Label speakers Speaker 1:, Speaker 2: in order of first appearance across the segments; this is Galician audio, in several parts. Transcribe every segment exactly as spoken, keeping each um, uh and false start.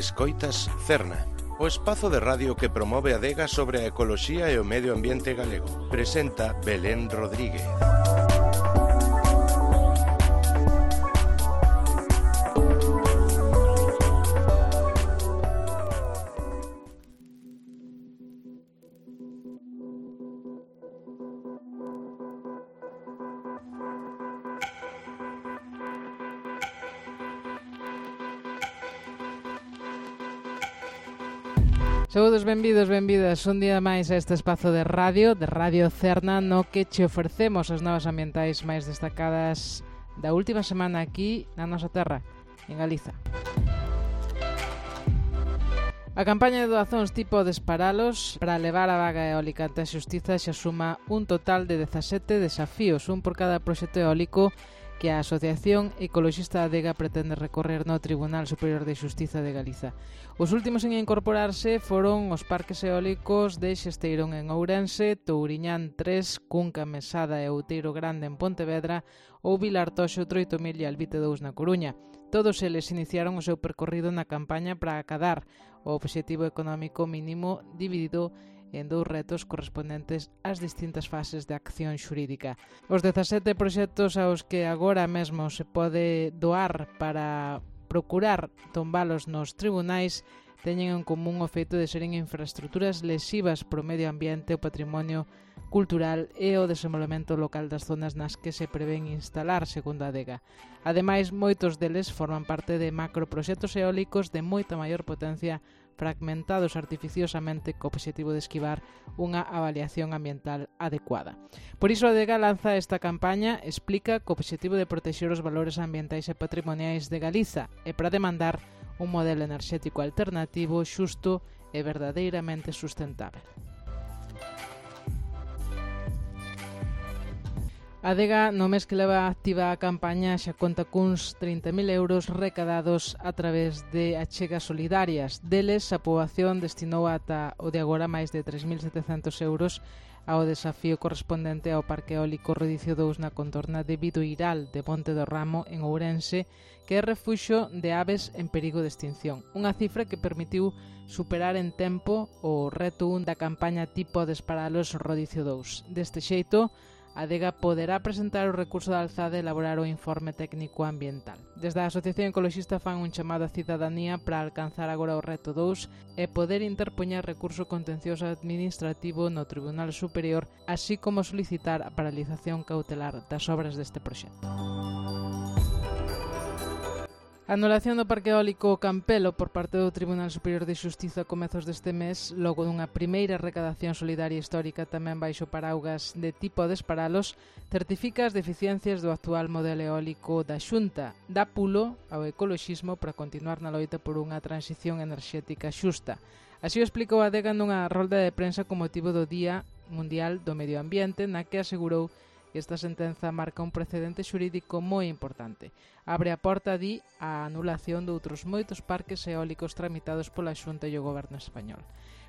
Speaker 1: Escoitas Cerna, o espazo de radio que promove a adega sobre a ecoloxía e o medio ambiente galego. Presenta Belén Rodríguez.
Speaker 2: Saúdos, benvidos, benvidas un día máis a este espazo de radio, de Radio Cerna, no que che ofrecemos as novas ambientais máis destacadas da última semana aquí na nosa terra, en Galiza. A campaña de doazóns tipo Desparalos para levar a vaga eólica ante a xustiza xa suma un total de dezasete desafíos, un por cada proxecto eólico que a Asociación Ecoloxista Adega pretende recorrer no Tribunal Superior de Xustiza de Galiza. Os últimos en incorporarse foron os parques eólicos de Xesteirón en Ourense, Touriñán tres, Cunca, Mesada e Outeiro Grande en Pontevedra ou Vilartoxo, Troitomil e Albite dous na Coruña. Todos eles iniciaron o seu percorrido na campaña para acadar o obxectivo económico mínimo dividido en dous retos correspondentes ás distintas fases de acción xurídica. Os dezasete proxectos aos que agora mesmo se pode doar para procurar tombalos nos tribunais teñen en común o feito de seren infraestructuras lesivas pro medio ambiente, o patrimonio cultural e o desenvolvemento local das zonas nas que se prevén instalar, segundo a Adega. Ademais, moitos deles forman parte de macroproxectos eólicos de moita maior potencia fragmentados artificiosamente co obxectivo de esquivar unha avaliación ambiental adecuada. Por iso a Adega lanza esta campaña, explica co obxectivo de protexer os valores ambientais e patrimoniais de Galiza e para demandar un modelo enerxético alternativo, xusto e verdadeiramente sustentável. A Adega, no mes que leva activa a campaña, xa conta cuns trinta mil euros recadados a través de achegas solidarias. Deles, a poboación destinou ata o de agora máis de tres mil setecentos euros ao desafío correspondente ao Parque Eólico Rodicio dous na contorna de Bidoiral de Monte do Ramo, en Ourense, que é refuxo de aves en perigo de extinción. Unha cifra que permitiu superar en tempo o reto un da campaña tipo Desparalos Rodicio dous. Deste xeito, a Adega poderá presentar o recurso de alzada e elaborar o informe técnico ambiental. Desde a Asociación Ecoloxista fan un chamado á cidadanía para alcanzar agora o reto dous e poder interpoñer recurso contencioso administrativo no Tribunal Superior, así como solicitar a paralización cautelar das obras deste proxecto. A anulación do Parque Eólico Campelo por parte do Tribunal Superior de Xustiza a comezos deste mes, logo dunha primeira recadación solidaria histórica tamén baixo paraugas de tipo Desparalos, certifica as deficiencias do actual modelo eólico da Xunta, dá pulo ao ecoloxismo para continuar na loita por unha transición enerxética xusta. Así o explicou a Adega nunha rolda de prensa con motivo do Día Mundial do Medio Ambiente, na que asegurou que esta sentenza marca un precedente xurídico moi importante. Abre a porta, di, a anulación de outros moitos parques eólicos tramitados pola Xunta e o Goberno español.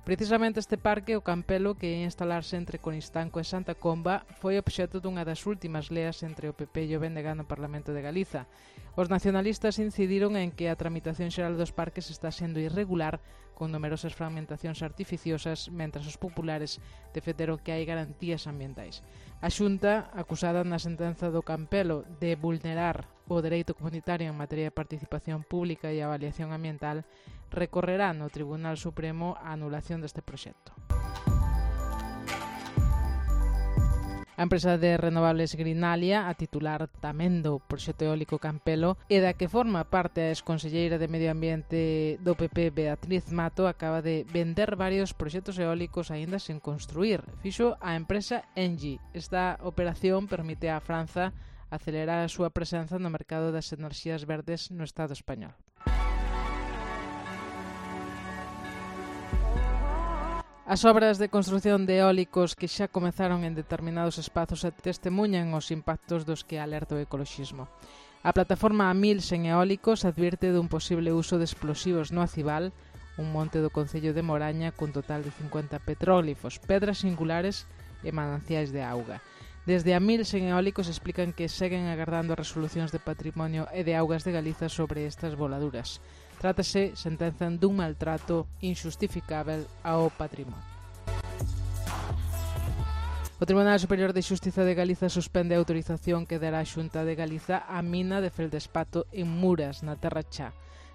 Speaker 2: Precisamente este parque, o Campelo, que ia instalarse entre Conistanco e Santa Comba, foi obxecto dunha das últimas leas entre o P P e o B N G no Parlamento de Galiza. Os nacionalistas incidiron en que a tramitación xeral dos parques está sendo irregular, con numerosas fragmentacións artificiosas, mentras os populares defenderon que hai garantías ambientais. A Xunta, acusada na sentenza do Campelo de vulnerar o dereito comunitario en materia de participación pública e avaliación ambiental, recorrerá no Tribunal Supremo a anulación deste proxecto. A empresa de renovables Greenalia, a titular tamén do proxecto eólico Campelo, e da que forma parte a exconselleira de Medio Ambiente do P P, Beatriz Mato, acaba de vender varios proxectos eólicos aínda sen construir. Fixo a empresa Engie. Esta operación permite a Franza acelerar a súa presenza no mercado das enerxías verdes no Estado español. As obras de construción de eólicos que xa comezaron en determinados espazos testemunhan os impactos dos que alerta o ecoloxismo. A plataforma A mil sen eólicos advirte dun posible uso de explosivos no Acibal, un monte do concello de Moraña cun total de cincuenta petróglifos, pedras singulares e mananciais de auga. Desde a mil sen eólicos explican que seguen agardando as resolucións de patrimonio e de augas de Galiza sobre estas voladuras. Trátase, sentenzan, dun maltrato inxustificável ao patrimonio. O Tribunal Superior de Xustiza de Galiza suspende a autorización que dará a Xunta de Galiza á mina de Feldespato en Muras, na Terra Chá.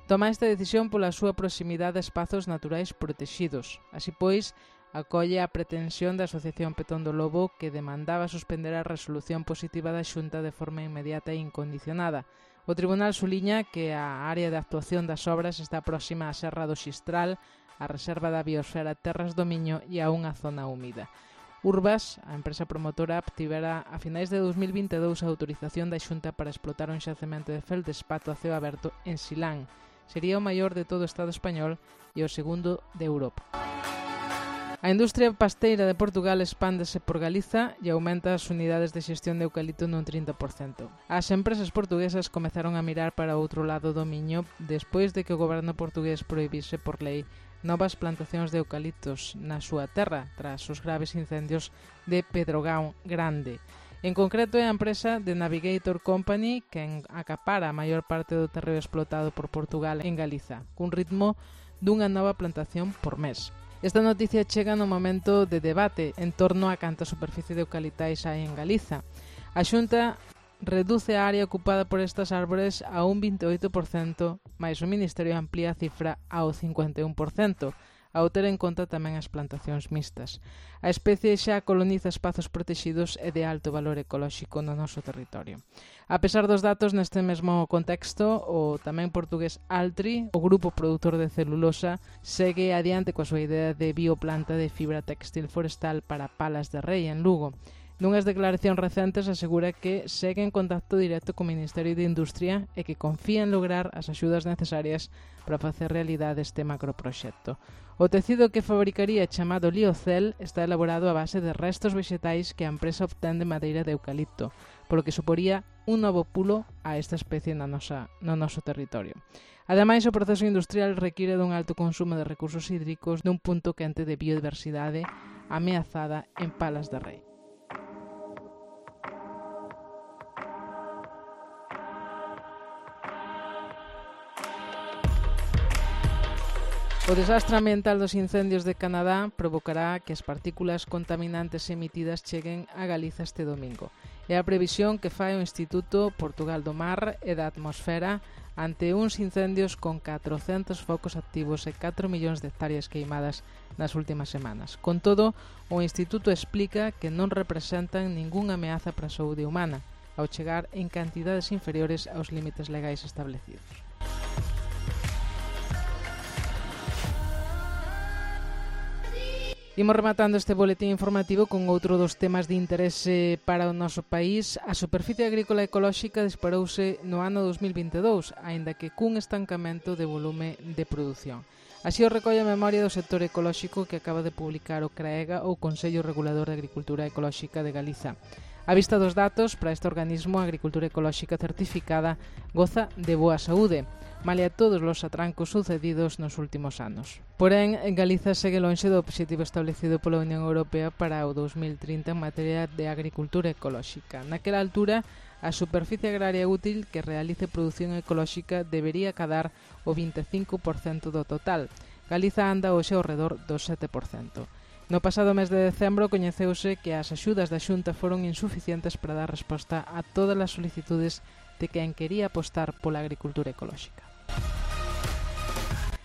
Speaker 2: Toma esta decisión pola súa proximidade a espazos naturais protexidos. Así pois, acolle a pretensión da Asociación Petón do Lobo que demandaba suspender a resolución positiva da Xunta de forma inmediata e incondicionada. O Tribunal suliña que a área de actuación das obras está próxima á Serra do Xistral, á Reserva da Biosfera Terras do Miño e a unha zona húmida. Urbas, a empresa promotora, obtivera a finais de dos mil vinte e dous a autorización da Xunta para explotar un xacemento de feldespato a ceo aberto en Silán. Sería o maior de todo o Estado español e o segundo de Europa. A industria pasteira de Portugal expándese por Galiza e aumenta as unidades de xestión de eucalipto nun trinta por cento. As empresas portuguesas comezaron a mirar para outro lado do Miño despois de que o goberno portugués prohibise por lei novas plantacións de eucaliptos na súa terra tras os graves incendios de Pedrogao Grande. En concreto é a empresa de Navigator Company quen acapara a maior parte do terreo explotado por Portugal en Galiza, cun ritmo dunha nova plantación por mes. Esta noticia chega no momento de debate en torno a canta superficie de eucaliptais hai en Galiza. A Xunta reduce a área ocupada por estas árbores a un vinte e oito por cento, mais o Ministerio amplía a cifra ao cincuenta e un por cento, ao ter en conta tamén as plantacións mixtas. A especie xa coloniza espazos protexidos e de alto valor ecolóxico no noso territorio. A pesar dos datos neste mesmo contexto, o tamén portugués Altri, o grupo produtor de celulosa, segue adiante coa súa idea de bioplanta de fibra textil forestal para Palas de Rei, en Lugo. Nunhas declaracións recentes asegura que segue en contacto directo co Ministerio de Industria e que confía en lograr as axudas necesarias para facer realidade este macroproxecto. O tecido que fabricaría chamado Liocel está elaborado a base de restos vexetais que a empresa obtén de madeira de eucalipto, polo que suporía un novo pulo a esta especie na nosa, no noso territorio. Ademais, o proceso industrial require dun alto consumo de recursos hídricos dun punto quente de biodiversidade ameazada en Palas de Rei. O desastre ambiental dos incendios de Canadá provocará que as partículas contaminantes emitidas cheguen a Galiza este domingo. É a previsión que fai o Instituto Portugal do Mar e da Atmosfera ante uns incendios con catrocentos focos activos e catro millóns de hectáreas queimadas nas últimas semanas. Con todo, o Instituto explica que non representan ningunha ameaza para a saúde humana, ao chegar en cantidades inferiores aos límites legais establecidos. Imos rematando este boletín informativo con outro dos temas de interese para o noso país. A superficie agrícola ecolóxica disparouse no ano dos mil vinte e dous, aínda que cun estancamento de volume de produción. Así o recolle a memoria do sector ecolóxico que acaba de publicar o CRAEGA, ou Consello Regulador de Agricultura Ecolóxica de Galiza. A vista dos datos, para este organismo, a agricultura ecolóxica certificada goza de boa saúde, malia todos os atrancos sucedidos nos últimos anos. Porén, Galiza segue lonxe do obxectivo establecido pola Unión Europea para o dos mil trinta en materia de agricultura ecolóxica. Naquela altura, a superficie agraria útil que realice produción ecolóxica debería cadar o vinte e cinco por cento do total. Galiza anda hoxe ao redor do sete por cento. No pasado mes de decembro coñeceuse que as axudas da Xunta foron insuficientes para dar resposta a todas as solicitudes de quen quería apostar pola agricultura ecolóxica.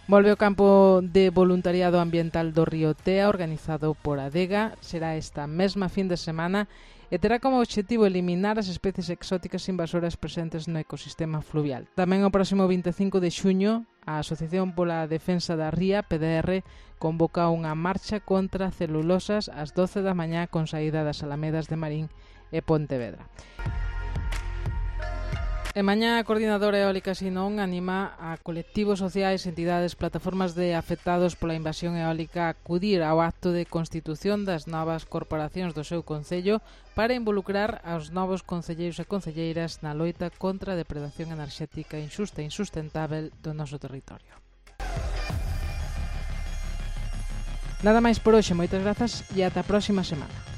Speaker 2: Volve o campo de voluntariado ambiental do Río Tea, organizado por Adega. Será esta mesma fin de semana e terá como obxectivo eliminar as especies exóticas invasoras presentes no ecosistema fluvial. Tamén o próximo vinte e cinco de xuño, a Asociación pola Defensa da Ría, P D R, convoca unha marcha contra celulosas ás doce da mañá con saída das Alamedas de Marín e Pontevedra. E mañá a Coordinadora Eólica Sinón anima a colectivos sociais, entidades, plataformas de afectados pola invasión eólica a acudir ao acto de constitución das novas corporacións do seu concello para involucrar aos novos concelleiros e concelleiras na loita contra a depredación enerxética inxusta e insustentável do noso territorio. Nada máis por hoxe, moitas grazas e ata a próxima semana.